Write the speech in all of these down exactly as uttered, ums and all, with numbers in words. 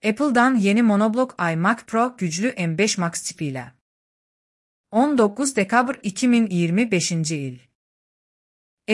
Apple'dan yeni monoblok iMac Pro güclü M beş Max çipiyle. on dokuz dekabr iki min iyirmi beşinci il.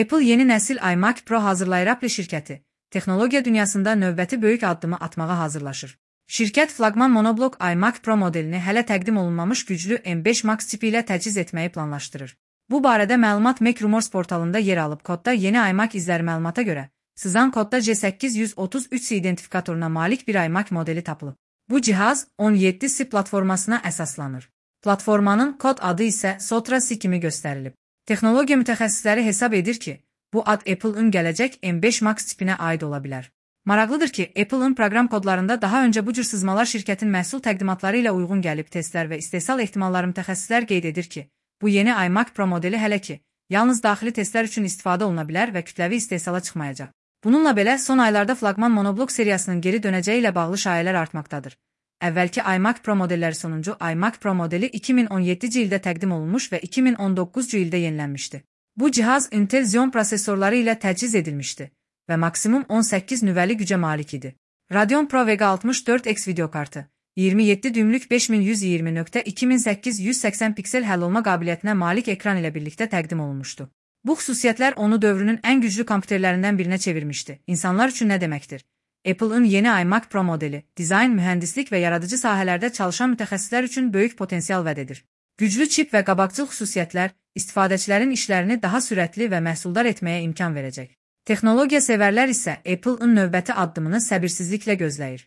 Apple yeni nəsil iMac Pro hazırlayır. Apple şirkəti, texnologiya dünyasında növbəti böyük addımı atmağa hazırlaşır. Şirkət flaqman monoblok iMac Pro modelini hələ təqdim olunmamış güclü M beş Max çipi ilə təchiz etməyi planlaşdırır. Bu barədə məlumat Mac Rumors portalında yer alıb. Kodda yeni iMac izləri məlumata görə, sızan kodda C səkkiz yüz otuz üç C identifikatoruna malik bir iMac modeli tapılıb. Bu cihaz on yeddi C platformasına əsaslanır. Platformanın kod adı isə Sotra C kimi göstərilib. Texnologiya mütəxəssisləri hesab edir ki, bu ad Apple'ın gələcək M beş Max çipinə aid ola bilər. Maraqlıdır ki, Apple'ın proqram kodlarında daha öncə bu cür sızmalar şirkətin məhsul təqdimatları ilə uyğun gəlib. Testlər və istehsal ehtimalları mütəxəssislər qeyd edir ki, bu yeni iMac Pro modeli hələ ki, yalnız daxili testlər üçün istifadə oluna bilər və kütləvi istehsala çıxmayacaq. Bununla belə, son aylarda flaqman monoblok seriyasının geri dönəcəyi ilə bağlı şayələr artmaqdadır. Əvvəlki iMac Pro modelləri sonuncu iMac Pro modeli iki min on yeddinci ildə təqdim olunmuş və iki min on doqquzuncu ildə yenilənmişdi. Bu cihaz Intel Xeon prosesorları ilə təchiz edilmişdi və maksimum on səkkiz nüvəli gücə malik idi. Radeon Pro Vega altmış dörd X videokartı, iyirmi yeddi düymlük beş min yüz iyirmi nöqtə iki min səkkiz yüz səksən piksel həll olma qabiliyyətinə malik ekran ilə birlikdə təqdim olunmuşdu. Bu xüsusiyyətlər onu dövrünün ən güclü kompüterlərindən birinə çevirmişdi. İnsanlar üçün nə deməkdir? Apple'ın yeni iMac Pro modeli, dizayn, mühəndislik və yaradıcı sahələrdə çalışan mütəxəssislər üçün böyük potensial vəd edir. Güclü çip və qabaqcıl xüsusiyyətlər istifadəçilərin işlərini daha sürətli və məhsuldar etməyə imkan verəcək. Texnologiya sevərlər isə Apple'ın növbəti addımını səbirsizliklə gözləyir.